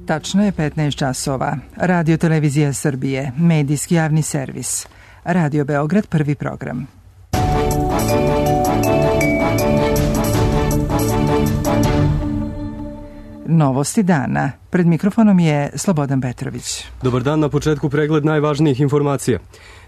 Tačno je 15 časova. Radio Televizija Srbije, medijski javni servis. Radio Beograd, prvi program. Novosti dana. Pred mikrofonom je Slobodan Petrović. Dobar dan, na početku pregled najvažnijih informacija.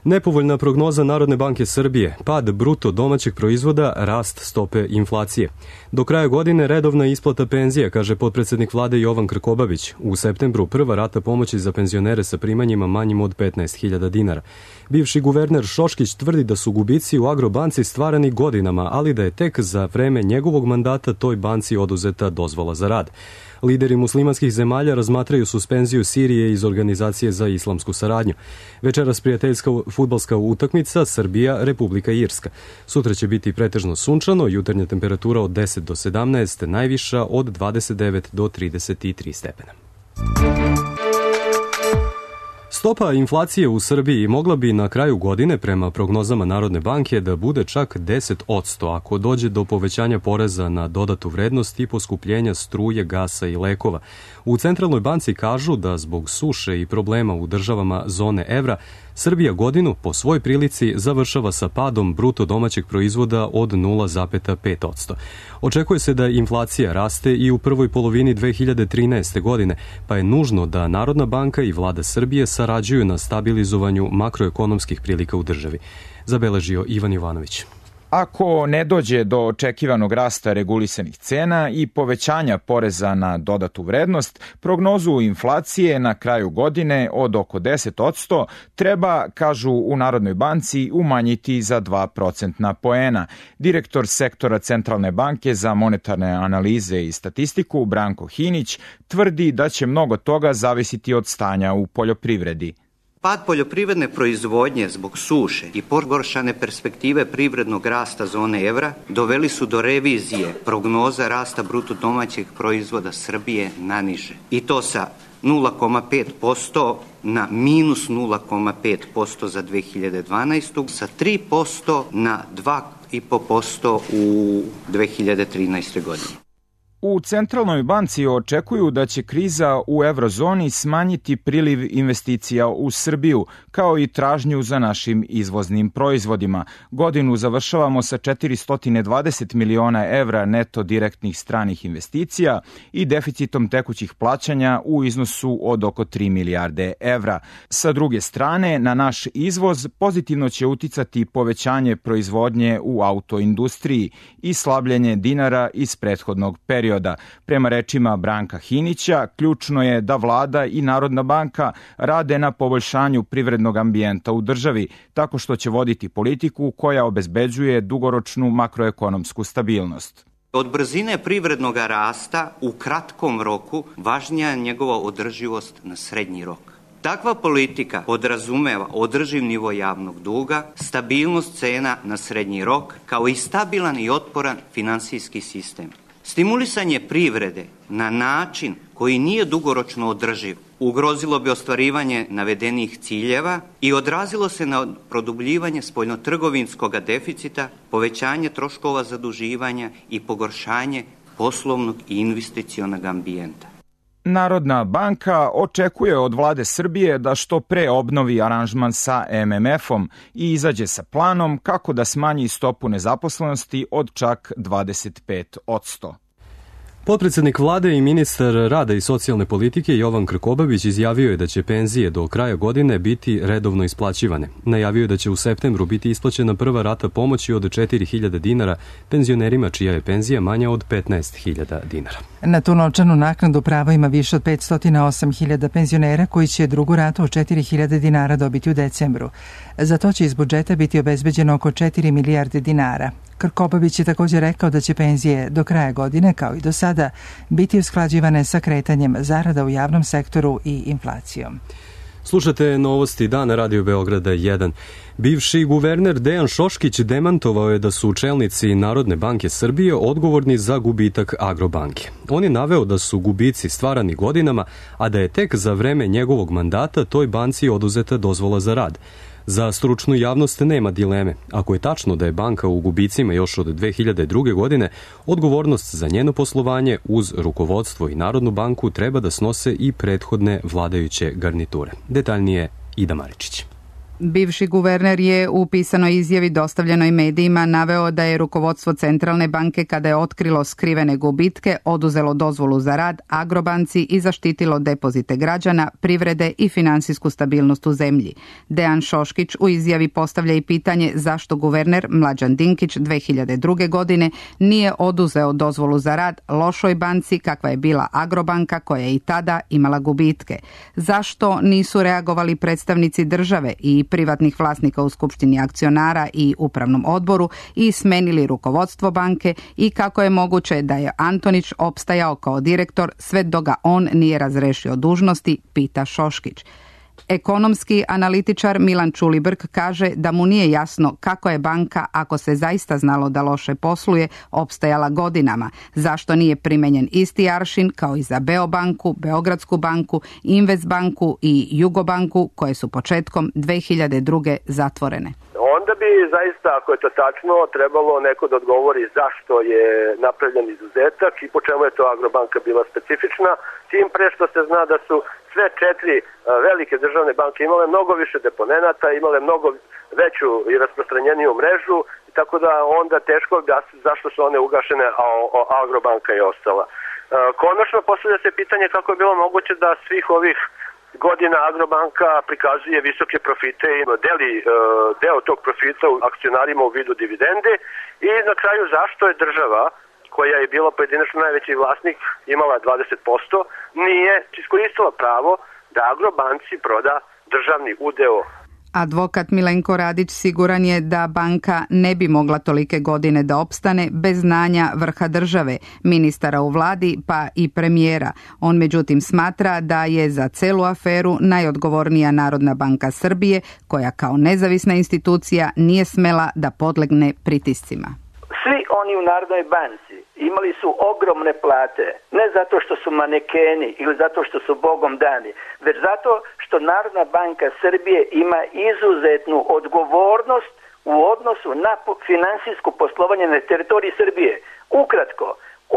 Nepovoljna prognoza Narodne banke Srbije, pad bruto domaćeg proizvoda, rast stope inflacije. Do kraja godine redovna isplata penzija, kaže potpredsednik vlade Jovan Krkobabić. U septembru prva rata pomoći za penzionere sa primanjima manjim od 15.000 dinara. Bivši guverner Šoškić tvrdi da su gubici u Agrobanci stvarani godinama, ali da je tek za vreme njegovog mandata toj banci oduzeta dozvola za rad. Lideri muslimanskih zemalja razmatraju suspenziju Sirije iz Organizacije za islamsku saradnju. Večeras prijateljska fudbalska utakmica Srbija, Republika Irska. Sutra će biti pretežno sunčano, jutarnja temperatura od 10 do 17, najviša od 29 do 33 stepena. Stopa inflacije u Srbiji mogla bi na kraju godine, prema prognozama Narodne banke, da bude čak 10% ako dođe do povećanja poreza na dodatu vrednost i poskupljenja struje, gasa i lekova. U Centralnoj banci kažu da zbog suše i problema u državama zone evra, Srbija godinu po svoj prilici završava sa padom bruto domaćeg proizvoda od 0,5%. Očekuje se da inflacija raste i u prvoj polovini 2013. godine, pa je nužno da Narodna banka i vlada Srbije sarađuju na stabilizovanju makroekonomskih prilika u državi. Zabeležio Ivan Jovanović. Ako ne dođe do očekivanog rasta regulisanih cena i povećanja poreza na dodatu vrednost, prognozu inflacije na kraju godine od oko 10% treba, kažu u Narodnoj banci, umanjiti za 2% poena. Direktor sektora Centralne banke za monetarne analize i statistiku Branko Hinić tvrdi da će mnogo toga zavisiti od stanja u poljoprivredi. Pad poljoprivredne proizvodnje zbog suše i pogoršane perspektive privrednog rasta zone evra doveli su do revizije prognoza rasta bruto domaćeg proizvoda Srbije na niže. I to sa 0,5% na minus 0,5% za 2012. sa 3% na 2,5% u 2013. godini. U Centralnoj banci očekuju da će kriza u eurozoni smanjiti priliv investicija u Srbiju, kao i tražnju za našim izvoznim proizvodima. Godinu završavamo sa 420 miliona evra neto direktnih stranih investicija i deficitom tekućih plaćanja u iznosu od oko 3 milijarde evra. Sa druge strane, na naš izvoz pozitivno će uticati povećanje proizvodnje u autoindustriji i slabljenje dinara iz prethodnog perioda. Prema rečima Branka Hinića, ključno je da vlada i Narodna banka rade na poboljšanju privrednog ambijenta u državi, tako što će voditi politiku koja obezbeđuje dugoročnu makroekonomsku stabilnost. Od brzine privrednog rasta u kratkom roku važnija je njegova održivost na srednji rok. Takva politika podrazumeva održiv nivo javnog duga, stabilnost cena na srednji rok, kao i stabilan i otporan finansijski sistem. Stimulisanje privrede na način koji nije dugoročno održiv ugrozilo bi ostvarivanje navedenih ciljeva i odrazilo se na produbljivanje spoljnotrgovinskog deficita, povećanje troškova zaduživanja i pogoršanje poslovnog i investicionog ambijenta. Narodna banka očekuje od vlade Srbije da što pre obnovi aranžman sa MMF-om i izađe sa planom kako da smanji stopu nezaposlenosti od čak 25%. Potpredsednik vlade i ministar rada i socijalne politike Jovan Krkobabić izjavio je da će penzije do kraja godine biti redovno isplaćivane. Najavio je da će u septembru biti isplaćena prva rata pomoći od 4.000 dinara penzionerima čija je penzija manja od 15.000 dinara. Na tu novčanu naknadu pravo ima više od 508.000 penzionera koji će drugu ratu od 4.000 dinara dobiti u decembru. Za to će iz budžeta biti obezbeđeno oko 4 milijarde dinara. Krkobabić je također rekao da će penzije do kraja godine, kao i do sada, biti usklađivane sa kretanjem zarada u javnom sektoru i inflacijom. Slušate novosti dana Radio Beograda 1. Bivši guverner Dejan Šoškić demantovao je da su čelnici Narodne banke Srbije odgovorni za gubitak Agrobanke. On je naveo da su gubici stvarani godinama, a da je tek za vreme njegovog mandata toj banci oduzeta dozvola za rad. Za stručnu javnost nema dileme. Ako je tačno da je banka u gubicima još od 2002. godine, odgovornost za njeno poslovanje uz rukovodstvo i Narodnu banku treba da snose i prethodne vladajuće garniture. Detaljnije Ida Maričić. Bivši guverner je u pisanoj izjavi dostavljenoj medijima naveo da je rukovodstvo Centralne banke, kada je otkrilo skrivene gubitke, oduzelo dozvolu za rad Agrobanci i zaštitilo depozite građana, privrede i finansijsku stabilnost u zemlji. Dejan Šoškić u izjavi postavlja i pitanje zašto guverner Mlađan Dinkić 2002. godine nije oduzeo dozvolu za rad lošoj banci kakva je bila Agrobanka, koja je i tada imala gubitke. Zašto nisu reagovali predstavnici države i privatnih vlasnika u Skupštini akcionara i upravnom odboru i smenili rukovodstvo banke i kako je moguće da je Antonić opstajao kao direktor sve dok ga on nije razrešio dužnosti, pita Šoškić. Ekonomski analitičar Milan Čulibrk kaže da mu nije jasno kako je banka, ako se zaista znalo da loše posluje, opstajala godinama. Zašto nije primenjen isti aršin kao i za Beobanku, Beogradsku banku, Investbanku i Jugobanku, koje su početkom 2002. zatvorene. Onda bi zaista, ako je to tačno, trebalo neko da odgovori zašto je napravljen izuzetak i po čemu je to Agrobanka bila specifična, tim pre što se zna da su sve četiri velike državne banke imale mnogo više deponenata, imale mnogo veću i rasprostranjeniju mrežu, tako da onda teško objasniti zašto su one ugašene, a Agrobanka je ostala. Konačno postavlja se pitanje kako je bilo moguće da svih ovih godina Agrobanka prikazuje visoke profite i deli deo tog profita u akcionarima u vidu dividende i na kraju zašto je država, koja je bila pojedinačno najveći vlasnik, imala 20%, nije iskoristila pravo da Agrobanci proda državni udeo. Advokat Milenko Radić siguran je da banka ne bi mogla tolike godine da opstane bez znanja vrha države, ministara u vladi pa i premijera. On međutim smatra da je za celu aferu najodgovornija Narodna banka Srbije, koja kao nezavisna institucija nije smela da podlegne pritiscima. Svi oni u Narodnoj banci imali su ogromne plate, ne zato što su manekeni ili zato što su Bogom dani, već zato što Narodna banka Srbije ima izuzetnu odgovornost u odnosu na finansijsko poslovanje na teritoriji Srbije. Ukratko,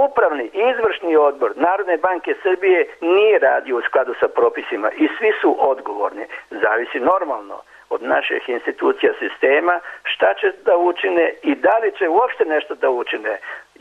upravni i izvršni odbor Narodne banke Srbije nije radio u skladu sa propisima i svi su odgovorni. Zavisi normalno od naših institucija sistema šta će da učine i da li će uopšte nešto da učine.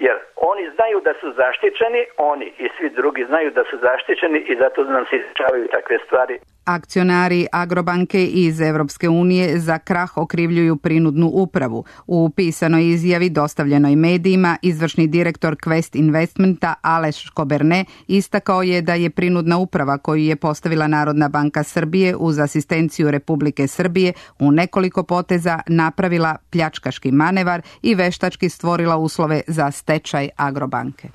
Jer oni znaju da su zaštićeni, oni i svi drugi znaju da su zaštićeni i zato nam se dešavaju takve stvari. Akcionari Agrobanke iz Evropske unije za krah okrivljuju prinudnu upravu. U pisanoj izjavi dostavljenoj medijima izvršni direktor Quest Investmenta Aleš Koberne istakao je da je prinudna uprava koju je postavila Narodna banka Srbije uz asistenciju Republike Srbije u nekoliko poteza napravila pljačkaški manevar i veštački stvorila uslove za stečaj Agrobanke.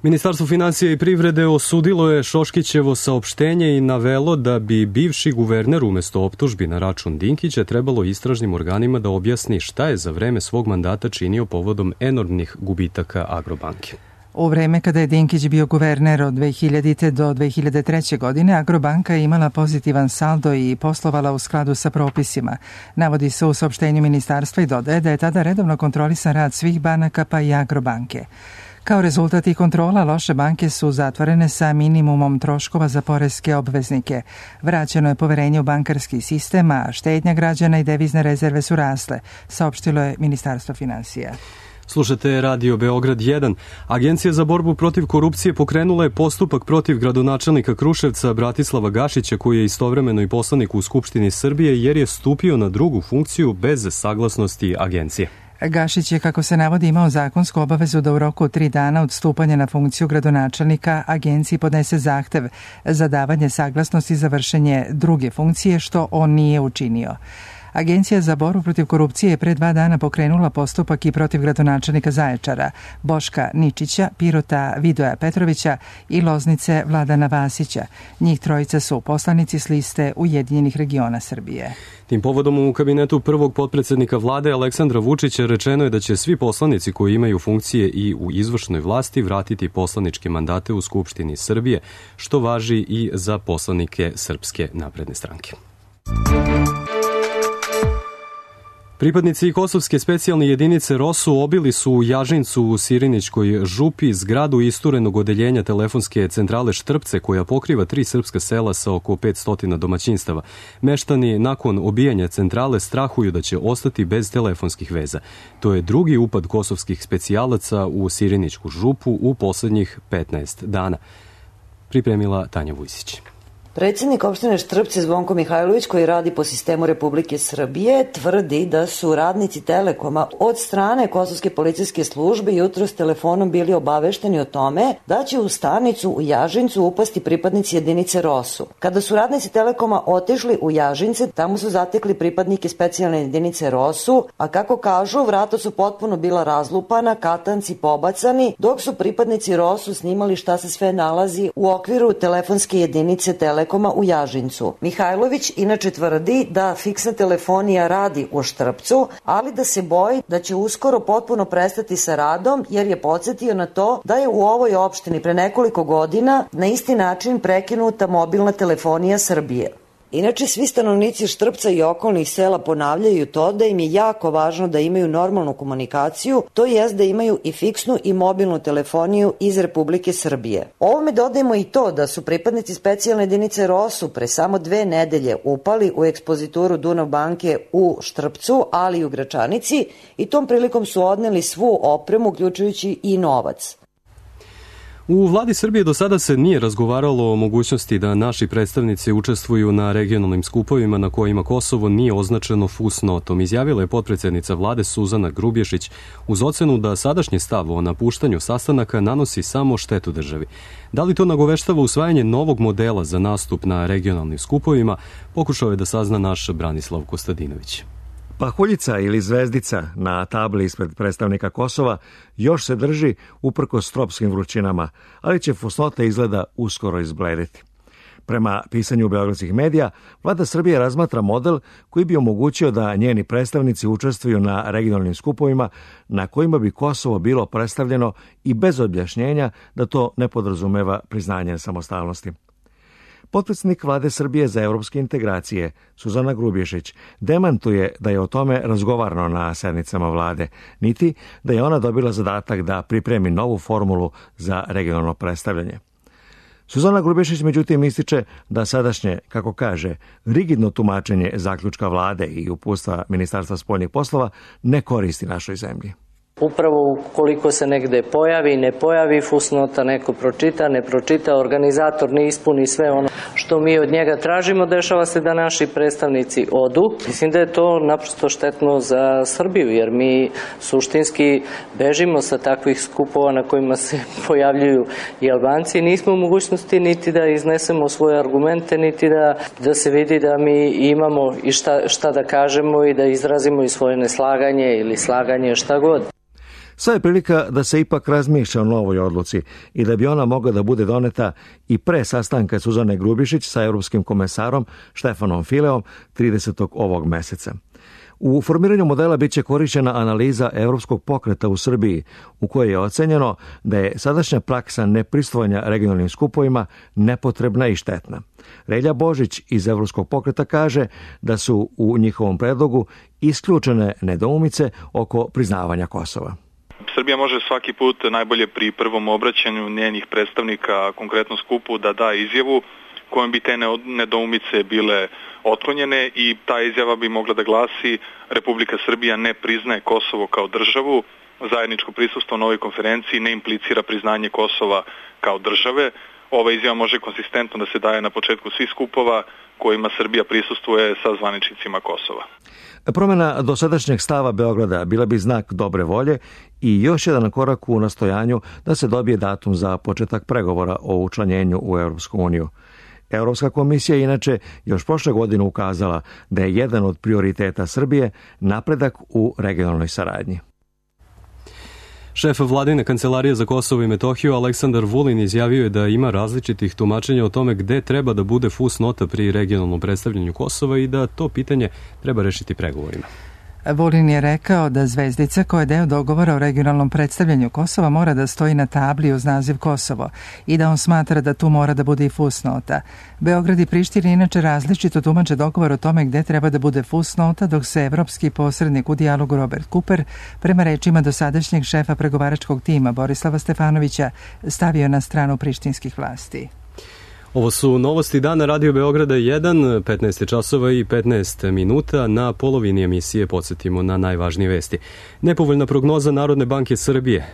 Ministarstvo finansija i privrede osudilo je Šoškićevo saopštenje i navelo da bi bivši guverner umesto optužbi na račun Dinkića trebalo istražnim organima da objasni šta je za vreme svog mandata činio povodom enormnih gubitaka Agrobanke. U vreme kada je Dinkić bio guverner od 2000. do 2003. godine, Agrobanka je imala pozitivan saldo i poslovala u skladu sa propisima. Navodi se u saopštenju ministarstva i dodaje da je tada redovno kontrolisan rad svih banaka pa i Agrobanke. Kao rezultat i kontrola, loše banke su zatvorene sa minimumom troškova za poreske obveznike. Vraćeno je poverenje u bankarski sistem, a štednja građana i devizne rezerve su rasle, saopštilo je Ministarstvo finansija. Slušate Radio Beograd 1. Agencija za borbu protiv korupcije pokrenula je postupak protiv gradonačelnika Kruševca Bratislava Gašića, koji je istovremeno i poslanik u Skupštini Srbije, jer je stupio na drugu funkciju bez saglasnosti agencije. Gašić je, kako se navodi, imao zakonsku obavezu da u roku od 3 dana od stupanja na funkciju gradonačelnika agenciji podnese zahtev za davanje saglasnosti za vršenje druge funkcije, što on nije učinio. Agencija za borbu protiv korupcije je pre 2 dana pokrenula postupak i protiv gradonačelnika Zaječara, Boška Ničića, Pirota Vidoja Petrovića i Loznice Vladana Vasića. Njih trojica su poslanici s liste Ujedinjenih regiona Srbije. Tim povodom u kabinetu prvog potpredsednika vlade Aleksandra Vučića rečeno je da će svi poslanici koji imaju funkcije i u izvršnoj vlasti vratiti poslaničke mandate u Skupštini Srbije, što važi i za poslanike Srpske napredne stranke. Pripadnici kosovske specijalne jedinice ROSU obili su u Jažincu u Sirinićkoj župi zgradu isturenog odeljenja telefonske centrale Štrpce koja pokriva 3 srpska sela sa oko 500 domaćinstava. Meštani nakon obijanja centrale strahuju da će ostati bez telefonskih veza. To je drugi upad kosovskih specijalaca u Sirinićku župu u poslednjih 15 dana. Pripremila Tanja Vujsić. Predsjednik opštine Štrpce Zvonko Mihajlović, koji radi po sistemu Republike Srbije, tvrdi da su radnici Telekoma od strane kosovske policijske službe jutros telefonom bili obavešteni o tome da će u stanicu u Jažincu upasti pripadnici jedinice ROSU. Kada su radnici Telekoma otišli u Jažince, tamo su zatekli pripadnike specijalne jedinice ROSU, a kako kažu, vrata su potpuno bila razlupana, katanci pobacani, dok su pripadnici ROSU snimali šta se sve nalazi u okviru telefonske jedinice Telekoma u Jažincu. Mihajlović inače tvrdi da fiksna telefonija radi u Štrpcu, ali da se boji da će uskoro potpuno prestati sa radom, jer je podsjetio na to da je u ovoj opštini pre nekoliko godina na isti način prekinuta mobilna telefonija Srbije. Inače, svi stanovnici Štrpca i okolnih sela ponavljaju to da im je jako važno da imaju normalnu komunikaciju, to jest da imaju i fiksnu i mobilnu telefoniju iz Republike Srbije. Ovome dodajemo i to da su pripadnici specijalne jedinice ROSU pre samo 2 nedelje upali u ekspozituru Dunav banke u Štrpcu, ali i u Gračanici, i tom prilikom su odneli svu opremu, uključujući i novac. U vladi Srbije do sada se nije razgovaralo o mogućnosti da naši predstavnici učestvuju na regionalnim skupovima na kojima Kosovo nije označeno fusnotom, izjavila je potpredsednica vlade Suzana Grubješić uz ocenu da sadašnji stav o napuštanju sastanaka nanosi samo štetu državi. Da li to nagoveštava usvajanje novog modela za nastup na regionalnim skupovima, pokušao je da sazna naš Branislav Kostadinović. Pahuljica ili zvezdica na tabli ispred predstavnika Kosova još se drži uprkos tropskim vrućinama, ali će fusnota izgleda uskoro izblediti. Prema pisanju beogradskih medija, vlada Srbije razmatra model koji bi omogućio da njeni predstavnici učestvuju na regionalnim skupovima na kojima bi Kosovo bilo predstavljeno i bez objašnjenja da to ne podrazumeva priznanje samostalnosti. Potpredsjednik vlade Srbije za evropske integracije, Suzana Grubješić, demantuje da je o tome razgovarano na sednicama vlade, niti da je ona dobila zadatak da pripremi novu formulu za regionalno predstavljanje. Suzana Grubješić međutim ističe da sadašnje, kako kaže, rigidno tumačenje zaključka vlade i uputstva Ministarstva spoljnih poslova ne koristi našoj zemlji. Upravo ukoliko se negde pojavi, ne pojavi fusnota, neko pročita, ne pročita, organizator ne ispuni sve ono što mi od njega tražimo, dešava se da naši predstavnici odu. Mislim da je to naprosto štetno za Srbiju, jer mi suštinski bežimo sa takvih skupova na kojima se pojavljuju i Albanci. Nismo u mogućnosti niti da iznesemo svoje argumente, niti da se vidi da mi imamo i šta da kažemo i da izrazimo i svoje neslaganje ili slaganje, šta god. Sad je prilika da se ipak razmišlja o novoj odluci i da bi ona mogla da bude doneta i pre sastanka Suzane Grubješić sa europskim komesarom Štefanom Fileom 30. ovog meseca. U formiranju modela biće korišćena analiza evropskog pokreta u Srbiji, u kojoj je ocenjeno da je sadašnja praksa nepristvovanja regionalnim skupovima nepotrebna i štetna. Relja Božić iz evropskog pokreta kaže da su u njihovom predlogu isključene nedoumice oko priznavanja Kosova. Srbija može svaki put najbolje pri prvom obraćanju njenih predstavnika konkretnom skupu da da izjavu kojom bi te nedoumice bile otklonjene i ta izjava bi mogla da glasi: Republika Srbija ne priznaje Kosovo kao državu, zajedničko prisustvo na ovoj konferenciji ne implicira priznanje Kosova kao države. Ova izjava može konsistentno da se daje na početku svih skupova kojima Srbija prisustvuje sa zvaničnicima Kosova. Promjena dosadašnjeg stava Beograda bila bi znak dobre volje i još jedan korak u nastojanju da se dobije datum za početak pregovora o učlanjenju u Europsku uniju. Europska komisija je inače još prošle godine ukazala da je jedan od prioriteta Srbije napredak u regionalnoj saradnji. Šef vladine kancelarije za Kosovo i Metohiju Aleksandar Vulin izjavio je da ima različitih tumačenja o tome gde treba da bude fusnota pri regionalnom predstavljanju Kosova i da to pitanje treba rešiti pregovorima. Vulin je rekao da Zvezdica, koja je deo dogovora o regionalnom predstavljanju Kosova, mora da stoji na tabli uz naziv Kosovo i da on smatra da tu mora da bude i fusnota. Beograd i Priština inače različito tumače dogovor o tome gde treba da bude fusnota, dok se evropski posrednik u dijalogu Robert Cooper, prema rečima dosadašnjeg šefa pregovaračkog tima Borislava Stefanovića, stavio na stranu prištinskih vlasti. Ovo su novosti dana Radio Beograda 1, 15 časova i 15 minuta. Na polovini emisije podsjetimo na najvažnije vesti. Nepovoljna prognoza Narodne banke Srbije,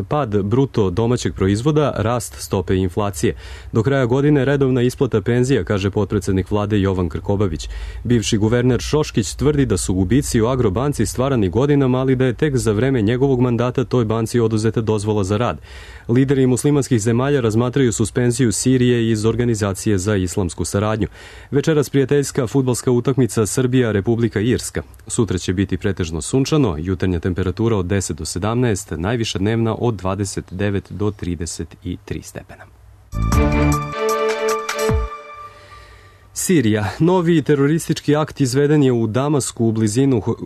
pad bruto domaćeg proizvoda, rast stope inflacije. Do kraja godine redovna isplata penzija, kaže potpredsednik vlade Jovan Krkobabić. Bivši guverner Šoškić tvrdi da su gubici u Agrobanci stvarani godinama, ali da je tek za vreme njegovog mandata toj banci oduzeta dozvola za rad. Lideri muslimanskih zemalja razmatraju suspenziju Sirije iz Organizacije za islamsku saradnju. Večeras prijateljska fudbalska utakmica Srbija-Republika Irska. Sutra će biti pretežno sunčano, jutarnja temperatura od 10 do 17, najviša dnevna od 29 do 33 stepena. Sirija. Novi teroristički akt izveden je u Damasku u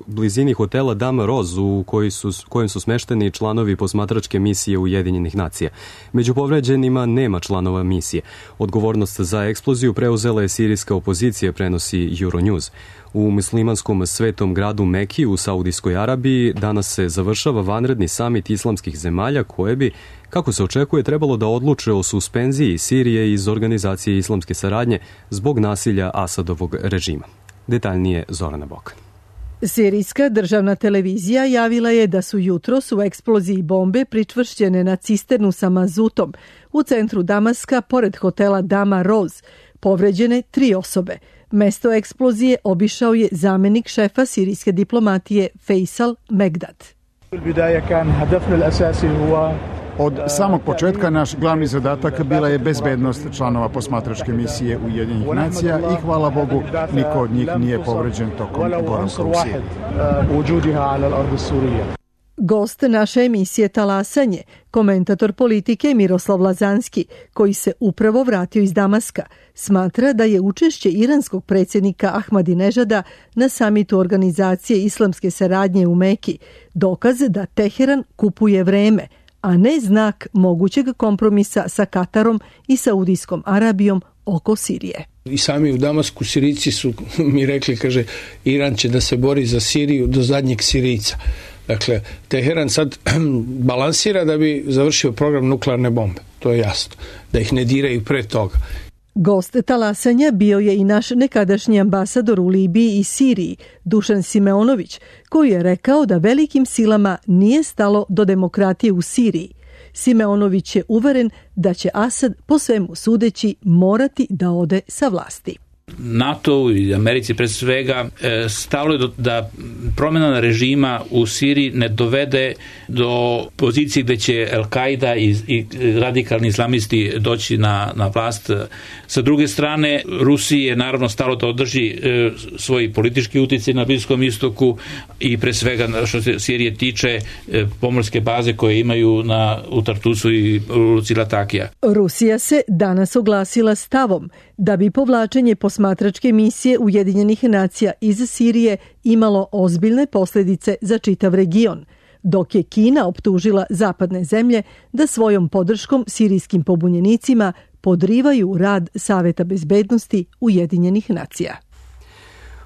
blizini hotela Dama Roz, u kojem su smešteni članovi posmatračke misije Ujedinjenih nacija. Među povređenima nema članova misije. Odgovornost za eksploziju preuzela je sirijska opozicija, prenosi Euronews. U muslimanskom svetom gradu Meki u Saudijskoj Arabiji danas se završava vanredni samit islamskih zemalja koje bi, kako se očekuje, trebalo da odluče o suspenziji Sirije iz Organizacije islamske saradnje zbog nasilja Asadovog režima. Detaljnije Zorana Bokan. Sirijska državna televizija javila je da su jutros u eksploziji bombe pričvršćene na cisternu sa mazutom u centru Damaska pored hotela Dama Roz povređene 3 osobe. Mesto eksplozije obišao je zamenik šefa sirijske diplomatije Faisal Megdad. Od samog početka naš glavni zadatak bila je bezbednost članova posmatračke misije Ujedinjenih nacija i hvala Bogu niko od njih nije povređen tokom boravka u Siriji. Gost naše emisije Talasanje, komentator politike Miroslav Lazanski, koji se upravo vratio iz Damaska, smatra da je učešće iranskog predsjednika Ahmadinežada na samitu Organizacije islamske saradnje u Meki dokaz da Teheran kupuje vreme, a ne znak mogućeg kompromisa sa Katarom i Saudijskom Arabijom oko Sirije. I sami u Damasku Sirijci su mi rekli, kaže, Iran će da se bori za Siriju do zadnjeg Sirijca. Dakle, Teheran sad balansira da bi završio program nuklearne bombe. To je jasno. Da ih ne diraju pre toga. Gost talasanja bio je i naš nekadašnji ambasador u Libiji i Siriji, Dušan Simeonović, koji je rekao da velikim silama nije stalo do demokratije u Siriji. Simeonović je uveren da će Asad po svemu sudeći morati da ode sa vlasti. NATO i Americi pre svega stalo je da promjena režima u Siriji ne dovede do pozicije gde će Al-Qaida i radikalni islamisti doći na vlast. Sa druge strane, Rusiji je naravno stalo da održi svoj politički uticaj na Bliskom istoku i pre svega što se Sirije tiče pomorske baze koje imaju u Tartusu i u luci Latakija. Rusija se danas oglasila stavom da bi povlačenje posmatračke misije Ujedinjenih nacija iz Sirije imalo ozbiljne posljedice za čitav region, dok je Kina optužila zapadne zemlje da svojom podrškom sirijskim pobunjenicima podrivaju rad Saveta bezbednosti Ujedinjenih nacija.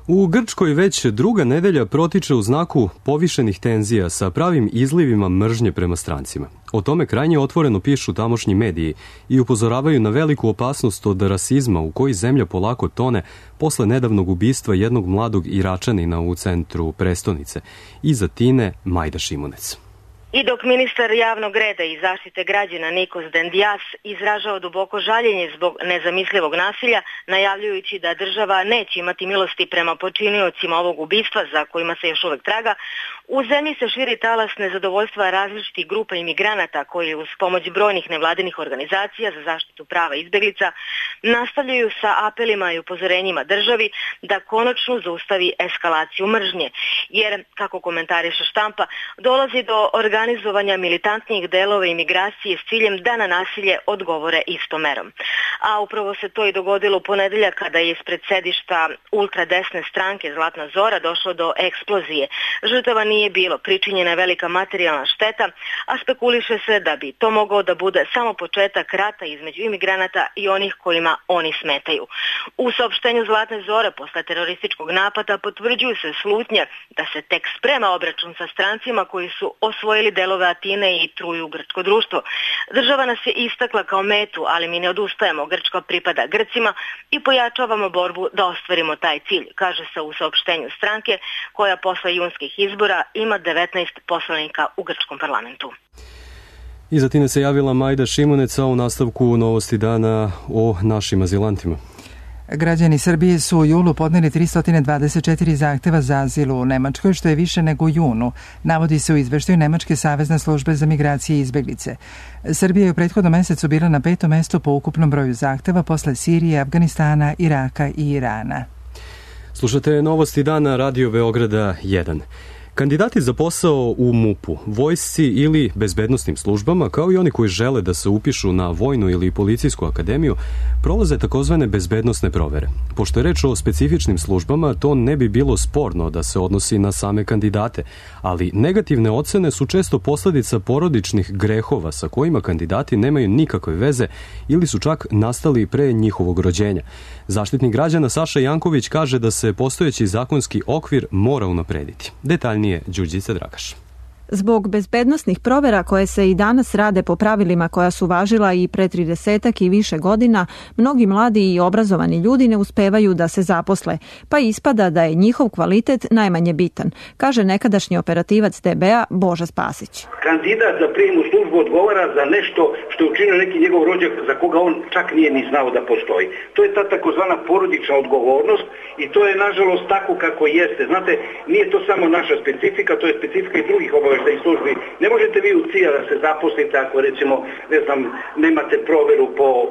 U Grčkoj već druga nedelja protiče u znaku povišenih tenzija sa pravim izlivima mržnje prema strancima. O tome krajnje otvoreno pišu tamošnji mediji i upozoravaju na veliku opasnost od rasizma u koji zemlja polako tone posle nedavnog ubistva jednog mladog Iračanina u centru prestonice. Iza Tine Majda Šimunec. I dok ministar javnog reda i zaštite građana Nikos Dendias izražao duboko žaljenje zbog nezamislivog nasilja, najavljujući da država neće imati milosti prema počiniocima ovog ubistva za kojima se još uvek traga, U zemlji se širi talas nezadovoljstva različitih grupa imigranata koji uz pomoć brojnih nevladinih organizacija za zaštitu prava izbeglica nastavljaju sa apelima i upozorenjima državi da konačno zaustavi eskalaciju mržnje. Jer, kako komentariše štampa, dolazi do organizovanja militantnijih delova imigracije s ciljem da na nasilje odgovore istom merom. A upravo se to i dogodilo u ponedeljak kada je ispred sedišta ultradesne stranke Zlatna Zora došlo do eksplozije. Žrtava nije bilo, pričinjena je velika materijalna šteta, a spekuliše se da bi to mogao da bude samo početak rata između imigranata i onih kojima oni smetaju. U saopštenju Zlatne Zore posle terorističkog napada potvrđuju se slutnje da se tek sprema obračun sa strancima koji su osvojili delove Atine i truju grčko društvo. Država nas je istakla kao metu, ali mi ne odustajemo, Grčka pripada Grcima i pojačavamo borbu da ostvarimo taj cilj, kaže se u saopštenju stranke koja posle junskih izbora ima 19 poslanika u grčkom parlamentu. Iz Atine se javila Majda Šimunec, a u nastavku novosti dana o našim azilantima. Građani Srbije su u julu podneli 324 zahteva za azil u Nemačkoj, što je više nego u junu, navodi se u izveštaju Nemačke savezne službe za migracije i izbeglice. Srbija je u prethodnom mesecu bila na 5. mestu po ukupnom broju zahteva posle Sirije, Afganistana, Iraka i Irana. Slušate novosti dana Radio Beograda 1. Kandidati za posao u MUP-u, vojsci ili bezbednosnim službama, kao i oni koji žele da se upišu na vojnu ili policijsku akademiju, prolaze takozvane bezbednosne provere. Pošto je reč o specifičnim službama, to ne bi bilo sporno da se odnosi na same kandidate, ali negativne ocene su često posledica porodičnih grehova sa kojima kandidati nemaju nikakve veze ili su čak nastali pre njihovog rođenja. Zaštitnik građana Saša Janković kaže da se postojeći zakonski okvir mora unaprediti. Detaljnije Đurđica Dragaš. Zbog bezbednosnih provera koje se i danas rade po pravilima koja su važila i pre 30 i više godina, mnogi mladi i obrazovani ljudi ne uspevaju da se zaposle, pa ispada da je njihov kvalitet najmanje bitan, kaže nekadašnji operativac DB-a Boža Spasić. Kandidat za prijem u službu odgovara za nešto što je učinio neki njegov rođak za koga on čak nije ni znao da postoji. To je ta takozvana porodična odgovornost i to je nažalost tako kako jeste. Znate, nije to samo naša specifika, to je specifika i drugih obaveštajnih službi. Ne možete vi u CIA da se zaposlite ako recimo, ne znam, nemate proveru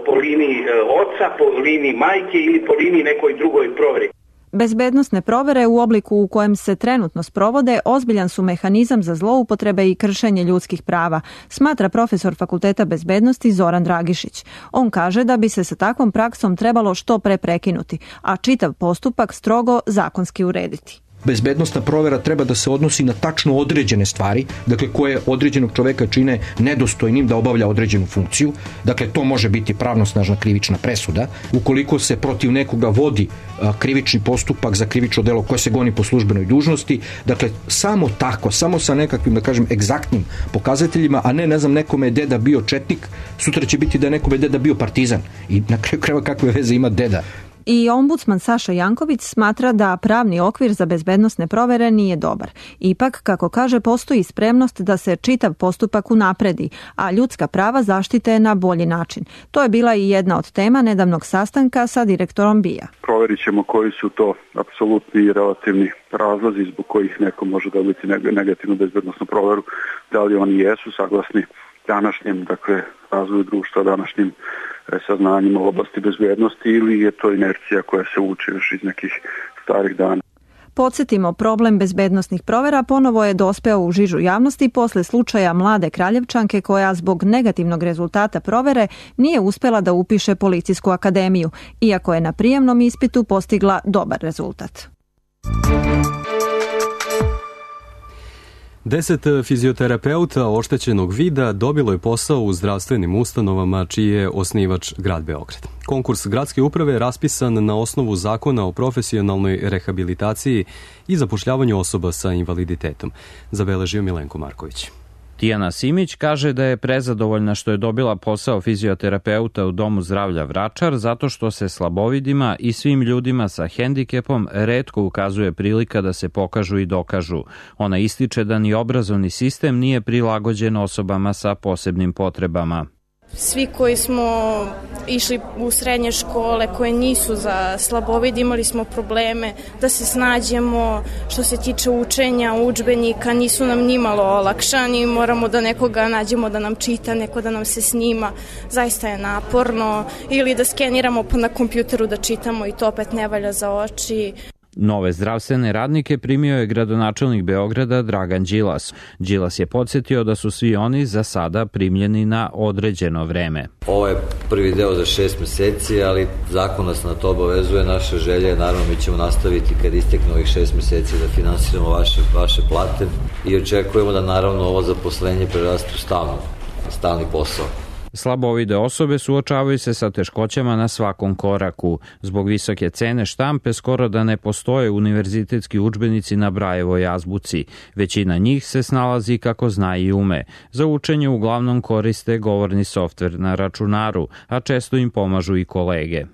po liniji oca, po liniji majke ili po liniji nekoj drugoj proveri. Bezbednosne provere u obliku u kojem se trenutno sprovode ozbiljan su mehanizam za zloupotrebe i kršenje ljudskih prava, smatra profesor Fakulteta bezbednosti Zoran Dragišić. On kaže da bi se sa takvom praksom trebalo što pre prekinuti, a čitav postupak strogo zakonski urediti. Bezbednosna provera treba da se odnosi na tačno određene stvari, dakle koje određenog čoveka čine nedostojnim da obavlja određenu funkciju. Dakle, to može biti pravnosnažna krivična presuda. Ukoliko se protiv nekoga vodi krivični postupak za krivično delo koje se goni po službenoj dužnosti, dakle, samo tako, samo sa nekakvim, da kažem, egzaktnim pokazateljima, a ne znam, nekome je deda bio četnik, sutra će biti da je nekome deda bio partizan. I na kraju krajeva kakve veze ima deda. I ombudsman Saša Janković smatra da pravni okvir za bezbednosne provere nije dobar. Ipak, kako kaže, postoji spremnost da se čitav postupak unapredi, a ljudska prava zaštite na bolji način. To je bila i jedna od tema nedavnog sastanka sa direktorom BIA. Proverit ćemo koji su to apsolutni i relativni razlozi zbog kojih neko može dobiti negativnu bezbednosnu proveru. Da li oni jesu saglasni današnjem, dakle, razvoju društva, današnjim saznanjima u oblasti bezbednosti ili je to inercija koja se uči još iz nekih starih dana. Podsjetimo, problem bezbednosnih provera ponovo je dospeo u žižu javnosti posle slučaja mlade Kraljevčanke koja zbog negativnog rezultata provere nije uspela da upiše policijsku akademiju, iako je na prijemnom ispitu postigla dobar rezultat. 10 fizioterapeuta oštećenog vida dobilo je posao u zdravstvenim ustanovama čiji je osnivač grad Beograd. Konkurs gradske uprave je raspisan na osnovu zakona o profesionalnoj rehabilitaciji i zapošljavanju osoba sa invaliditetom, zabeležio Milenko Marković. Tijana Simić kaže da je prezadovoljna što je dobila posao fizioterapeuta u Domu zdravlja Vračar zato što se slabovidima i svim ljudima sa hendikepom retko ukazuje prilika da se pokažu i dokažu. Ona ističe da ni obrazovni sistem nije prilagođen osobama sa posebnim potrebama. Svi koji smo išli u srednje škole koje nisu za slabovide, imali smo probleme da se snađemo što se tiče učenja, udžbenika, nisu nam nimalo olakšani, moramo da nekoga nađemo da nam čita, neko da nam se snima, zaista je naporno, ili da skeniramo na kompjuteru da čitamo i to opet ne valja za oči. Nove zdravstvene radnike primio je gradonačelnik Beograda Dragan Đilas. Đilas je podsjetio da su svi oni za sada primljeni na određeno vreme. Ovo je prvi deo za 6 meseci, ali zakon nas na to obavezuje. Naša želja je, naravno, mi ćemo nastaviti kad istekne ovih 6 meseci da finansiramo vaše plate i očekujemo da, naravno, ovo zaposlenje preraste u stalni posao. Slabovide osobe suočavaju se sa teškoćama na svakom koraku. Zbog visoke cene štampe skoro da ne postoje univerzitetski udžbenici na Brajevoj azbuci. Većina njih se snalazi kako zna i ume. Za učenje uglavnom koriste govorni softver na računaru, a često im pomažu i kolege.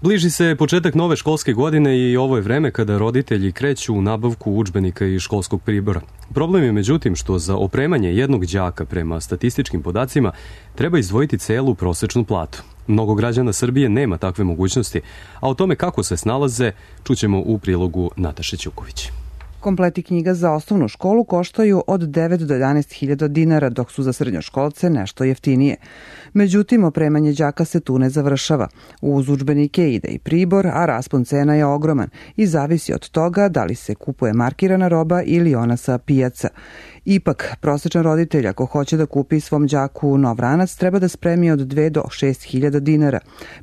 Bliži se početak nove školske godine i ovo je vreme kada roditelji kreću u nabavku udžbenika i školskog pribora. Problem je međutim što za opremanje jednog đaka prema statističkim podacima treba izdvojiti celu prosečnu platu. Mnogo građana Srbije nema takve mogućnosti, a o tome kako se snalaze čućemo u prilogu Nataše Ćuković. Kompleti knjiga za osnovnu školu koštaju od 9 do 11.000 dinara, dok su za srednjoškolce nešto jeftinije. Međutim, opremanje đaka se tu ne završava. Uz udžbenike ide i pribor, a raspon cena je ogroman i zavisi od toga da li se kupuje markirana roba ili ona sa pijaca. Ipak, prosečan roditelj ako hoće da kupi svom đaku nov ranac treba da spremi od 2 do 6.000 dinara.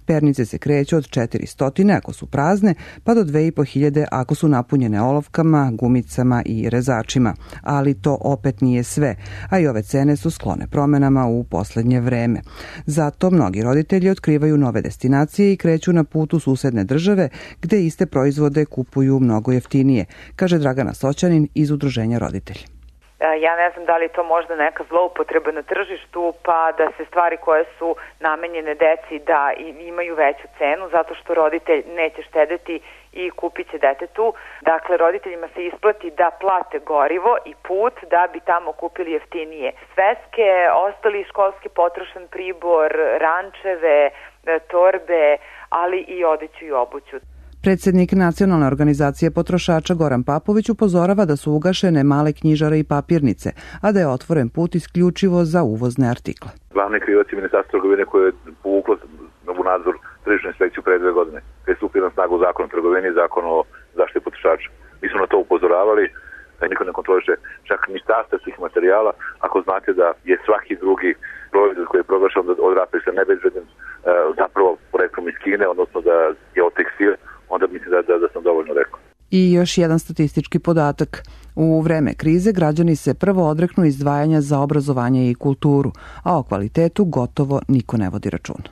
Pernice se kreću od 400 ako su prazne, pa do 2.500 ako su napunjene olovkama, gumicama i rezačima. Ali to opet nije sve, a i ove cene su sklone promenama u poslednje vreme. Zato mnogi roditelji otkrivaju nove destinacije i kreću na put u susedne države gde iste proizvode kupuju mnogo jeftinije, kaže Dragana Soćanin iz Udruženja roditelji. Ja ne znam da li je to možda neka zloupotreba na tržištu, pa da se stvari koje su namenjene deci da imaju veću cenu zato što roditelj neće štedeti i kupit će detetu. Dakle, roditeljima se isplati da plate gorivo i put da bi tamo kupili jeftinije sveske, ostali školski potrošan pribor, rančeve, torbe, ali i odeću i obuću. Predsednik Nacionalne organizacije potrošača Goran Papović upozorava da su ugašene male knjižare i papirnice, a da je otvoren put isključivo za uvozne artikle. Glavni krivac je Ministarstvo trgovine koje je povuklo u nadzor tržišnu inspekciju pre 2 godine, kada je stupio na snagu zakon o trgovini i zakon o zaštiti potrošača. Mi smo na to upozoravali, da niko ne kontroliše čak ni sastav tih materijala. Ako znate da je svaki drugi proizvod koji je proglašen od rapeksa nebezbednim zapravo poreklom iz Kine, odnosno da je od tekstil, onda mislim da sam dovoljno rekao. I još jedan statistički podatak. U vreme krize građani se prvo odreknu izdvajanja za obrazovanje i kulturu, a o kvalitetu gotovo niko ne vodi računa.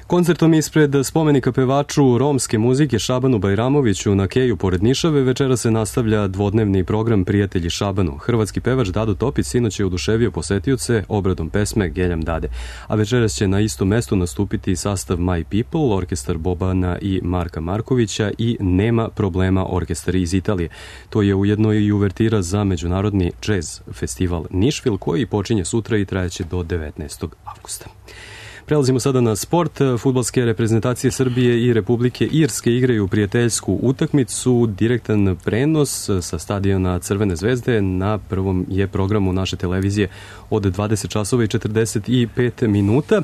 Koncertom ispred spomenika pevaču romske muzike Šabanu Bajramoviću na Keju pored Nišave večera se nastavlja dvodnevni program Prijatelji Šabanu. Hrvatski pevač Dado Topić sinoć je oduševio posetioce obradom pesme Geljam Dade, a večeras će na istom mestu nastupiti sastav My People, orkestar Bobana i Marka Markovića i Nema problema, orkestar iz Italije. To je ujedno i uvertira za međunarodni jazz festival Nišvil koji počinje sutra i trajeće do 19. avgusta. Prelazimo sada na sport. Fudbalske reprezentacije Srbije i Republike Irske igraju prijateljsku utakmicu. Direktan prenos sa stadiona Crvene zvezde na prvom je programu naše televizije od 20 časova i 45 minuta.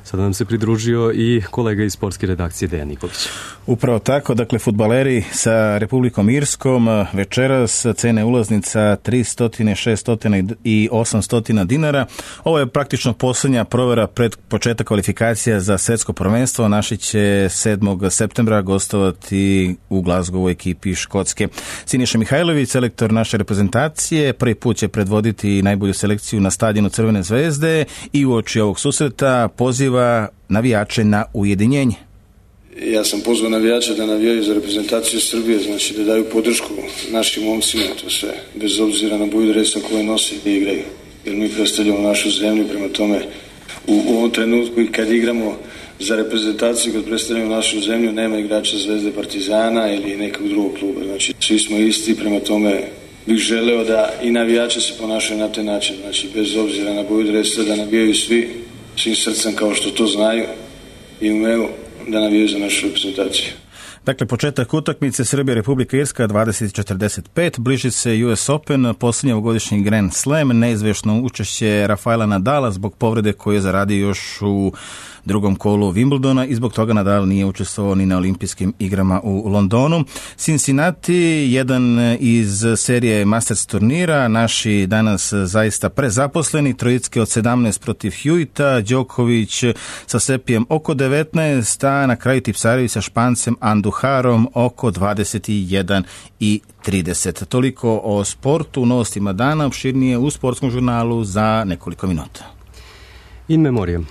Sada nam se pridružio i kolega iz sportske redakcije Dejan Nikolić. Upravo tako, dakle, fudbaleri sa Republikom Irskom večeras cene ulaznica 300, 600 i 800 dinara. Ovo je praktično posljednja provera pred početak kvalifikacija za svjetsko prvenstvo. Naši će 7. septembra gostovati u Glasgowu ekipi Škotske. Siniša Mihajlović, selektor naše reprezentacije, prvi put će predvoditi najbolju selekciju na stadionu Crvene zvezde i uoči ovog susreta poziva navijače na ujedinjenje. Ja sam pozvao navijače da navijaju za reprezentaciju Srbije, znači da daju podršku našim momcima, to sve, bez obzira na boju dresa koje nose i igraju. Jer mi predstavljamo našu zemlju, prema tome u ovom trenutku i kad igramo za reprezentaciju, kad predstavljamo našu zemlju, nema igrača Zvezde, Partizana ili nekog drugog kluba. Znači svi smo isti, prema tome bih želeo da i navijači se ponašaju na taj način, znači bez obzira na boju dresa, da navijaju svim srcem kao što to znaju i umeju da navijaju za našu reprezentaciju. Dakle, početak utakmice Srbija Republika Irska 20:45, bliži se US Open, posljednji ovogodišnji Grand Slam, neizvjesno učešće Rafaela Nadala zbog povrede koju je zaradio još u drugom kolu Wimbledona i zbog toga Nadal nije učestvovao ni na olimpijskim igrama u Londonu. Cincinnati, jedan iz serije Masters turnira, naši danas zaista prezaposleni, trojicke od 17 protiv Hewita, Đoković sa Sepijem oko 19, a na kraju Tipsarević sa Špancem Anduharom oko 21 i 30. Toliko o sportu u novostima dana, opširnije u sportskom žurnalu za nekoliko minuta. In memoriam.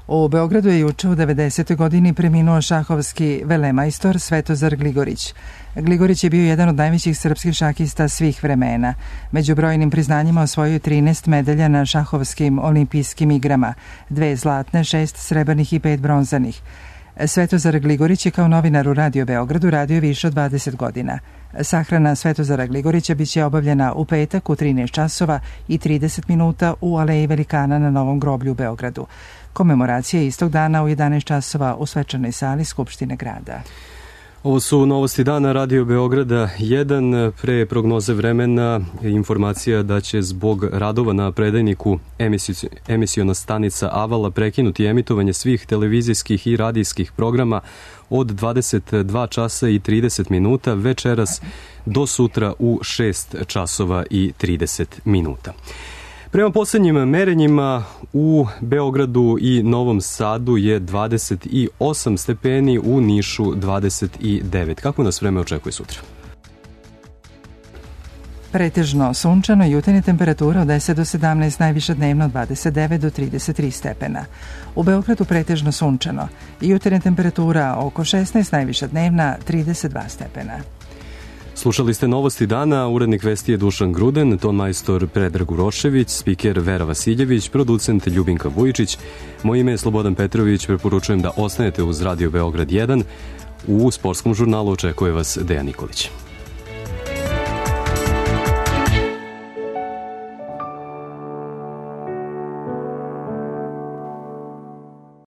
U Beogradu je juče u 90. godini preminuo šahovski velemajstor Svetozar Gligorić. Gligorić je bio jedan od najvećih srpskih šahista svih vremena. Među brojnim priznanjima osvojio je 13 medalja na šahovskim olimpijskim igrama, 2 zlatne, 6 srebrnih i 5 bronzanih. Svetozar Gligorić je kao novinar u Radio Beogradu radio više od 20 godina. Sahrana Svetozara Gligorića biće obavljena u petak u 13 časova i 30 minuta u Aleji Velikana na Novom groblju u Beogradu. Komemoracija je istog dana u 11 časova u svečanoj sali Skupštine grada. Ovo su novosti dana Radio Beograda 1. Pre prognoze vremena informacija da će zbog radova na predajniku emisiona stanica Avala prekinuti emitovanje svih televizijskih i radijskih programa od 22 časa i 30 minuta večeras do sutra u 6 časova i 30 minuta. Prema posljednjim merenjima u Beogradu i Novom Sadu je 28 stepeni, u Nišu 29. Kako nas vreme očekuje sutra? Pretežno sunčano, jutarnja temperatura od 10 do 17, najviša dnevno 29 do 33 stepena. U Beogradu pretežno sunčano, jutarnja temperatura oko 16, najviša dnevna 32 stepena. Slušali ste novosti dana, urednik vesti je Dušan Gruden, tonmajstor Predrag Urošević, spiker Vera Vasiljević, producent Ljubinka Vujičić. Moje ime je Slobodan Petrović, preporučujem da ostanete uz Radio Beograd 1. U sportskom žurnalu očekuje vas Dejan Nikolić.